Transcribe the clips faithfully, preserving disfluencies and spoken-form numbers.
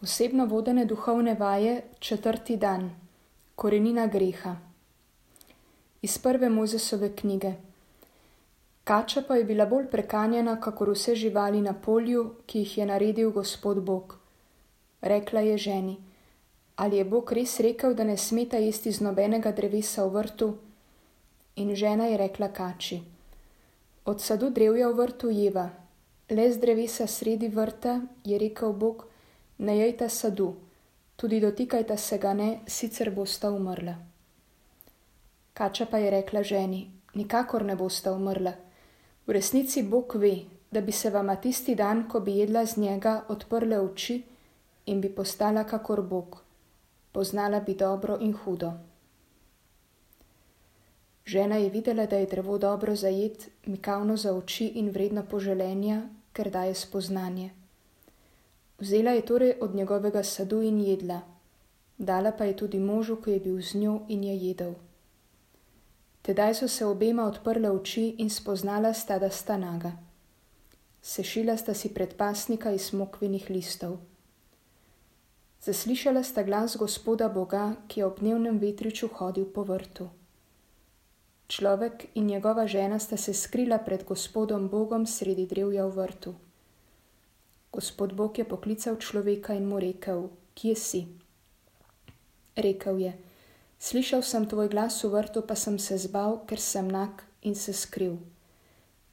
Osebno vodene duhovne vaje, četrti dan. Korenina greha. Iz prve Mojzesove knjige. Kača pa je bila bolj prekanjena, kakor vse živali na polju, ki jih je naredil Gospod Bog. Rekla je ženi: ali je Bog res rekel, da ne smeta jesti z nobenega drevesa v vrtu? In žena je rekla kači: od sadu drevja v vrtu jeva, le z drevesa sredi vrta je rekel Bog: ne jejta sadu, tudi dotikajta se ga ne, sicer bosta umrla. Kača pa je rekla ženi: nikakor ne bosta umrla. V resnici Bog ve, da bi se vama tisti dan, ko bi jedla z njega, odprle oči in bi postala kakor Bog. Poznala bi dobro in hudo. Žena je videla, da je drevo dobro za jed, mikavno za oči in vredno poželenja, ker daje spoznanje. Vzela je torej od njegovega sadu in jedla. Dala pa je tudi možu, ki je bil z njo, in je jedel. Tedaj so se obema odprle oči in spoznala sta, da sta naga. Sešila sta si predpasnika iz smokvinih listov. Zaslišala sta glas Gospoda Boga, ki je ob dnevnem vetriču hodil po vrtu. Človek in njegova žena sta se skrila pred Gospodom Bogom sredi drevja v vrtu. Gospod Bog je poklical človeka in mu rekel: kje si? Rekel je: slišal sem tvoj glas v vrtu, pa sem se zbal, ker sem nag, in se skril.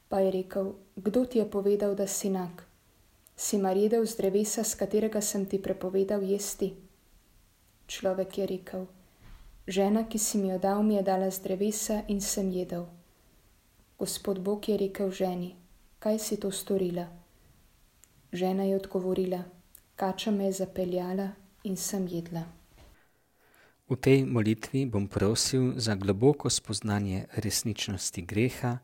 Pa je rekel: kdo ti je povedal, da si nag? Si mar jedel z drevesa, s katerega sem ti prepovedal jesti? Človek je rekel: žena, ki si mi jo dal, mi je dala z drevesa in sem jedel. Gospod Bog je rekel ženi: kaj si to storila? Žena je odgovorila: kača me je zapeljala in sem jedla. V tej molitvi bom prosil za globoko spoznanje resničnosti greha,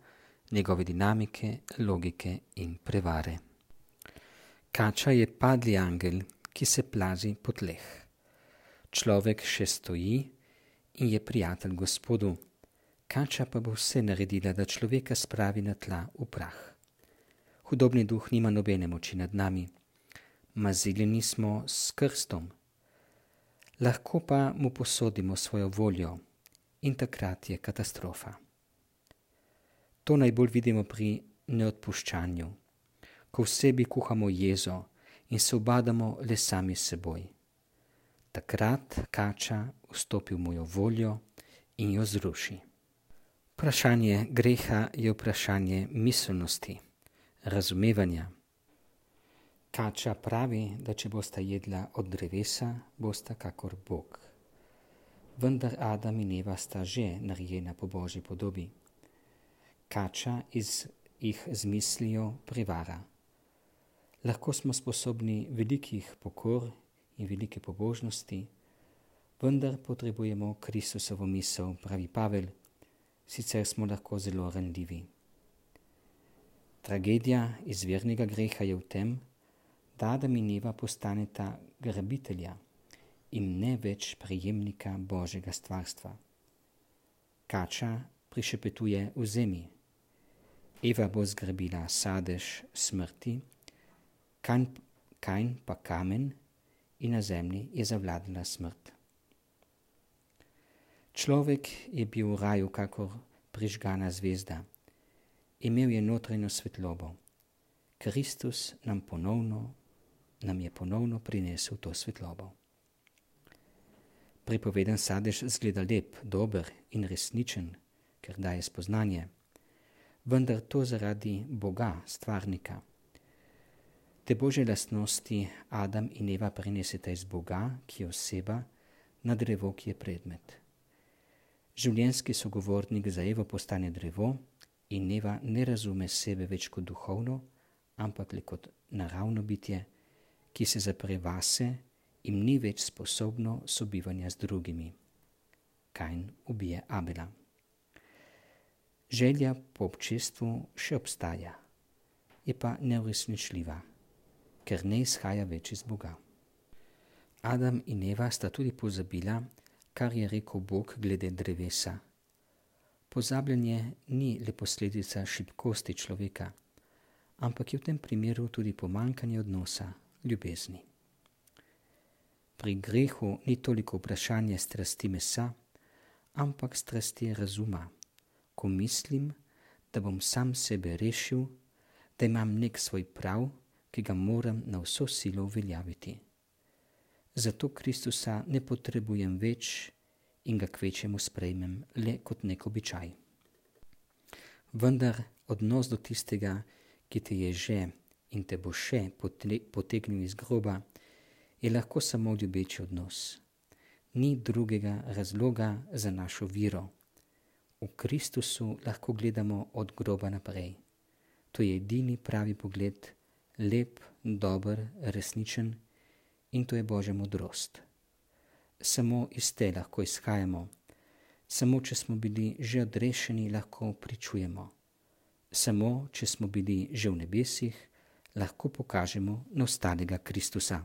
njegove dinamike, logike in prevare. Kača je padli angel, ki se plazi po tleh. Človek še stoji in je prijatelj Gospodu. Kača pa bo vse naredila, da človeka spravi na tla v prah. Hudobni duh nima nobene moči nad nami. Maziljeni smo s krstom. Lahko pa mu posodimo svojo voljo in takrat je katastrofa. To najbolj vidimo pri neodpuščanju, ko v sebi kuhamo jezo in se ubadamo le sami s seboj. Takrat kača vstopi v mojo voljo in jo zruši. Vprašanje greha je vprašanje miselnosti, razumevanja. Kača pravi, da če bosta jedla od drevesa, bosta kakor Bog. Vendar Adam in Eva sta že narejena po Božji podobi. Kača iz, jih z mislijo prevara. Lahko smo sposobni velikih pokor in velike pobožnosti, vendar potrebujemo Kristusovo misel, pravi Pavel, sicer smo lahko zelo ranljivi. Tragedija izvirnega greha je v tem, da Adam in Eva postaneta grabitelja in ne več prejemnika Božjega stvarstva. Kača prišepetuje vzemi. Eva bo zgrabila sadež smrti, Kain pa kamen in na zemlji je zavladala smrt. Človek je bil v raju kakor prižgana zvezda. Imel je notranjo svetlobo. Kristus nam ponovno nam je ponovno prinesel to svetlobo. Pripoveden sadež zgleda lep, dober in resničen, ker daje spoznanje, vendar to zaradi Boga, stvarnika. Te Božje lastnosti Adam in Eva prineseta iz Boga, ki je oseba, na drevo, ki je predmet. Življenjski sogovornik za Evo postane drevo in Eva ne razume sebe več kot duhovno, ampak le kot naravno bitje, ki se zapre vase in ni več sposobno sobivanja z drugimi. Kain ubije Abela. Želja po občestvu še obstaja, je pa neuresničljiva, ker ne izhaja več iz Boga. Adam in Eva sta tudi pozabila, kar je rekel Bog glede drevesa. Pozabljanje ni le posledica šibkosti človeka, ampak je v tem primeru tudi pomanjkanje odnosa, ljubezni. pri grehu ni toliko vprašanje strasti mesa, ampak strasti razuma, ko mislim, da bom sam sebe rešil, da imam nek svoj prav, ki ga moram na vso silo uveljaviti. Zato Kristusa ne potrebujem več in ga kvečemu sprejmem le kot nek običaj. Vendar odnos do tistega, ki te je že in te bo še potegnil iz groba, je lahko samo ljubeči odnos. Ni drugega razloga za našo vero. V Kristusu lahko gledamo od groba naprej. To je edini pravi pogled, lep, dober, resničen, in to je Božja modrost. Samo iz te lahko izhajamo, samo če smo bili že odrešeni, lahko pričujemo. Samo če smo bili že v nebesih, lahko pokažemo na ostalega Kristusa.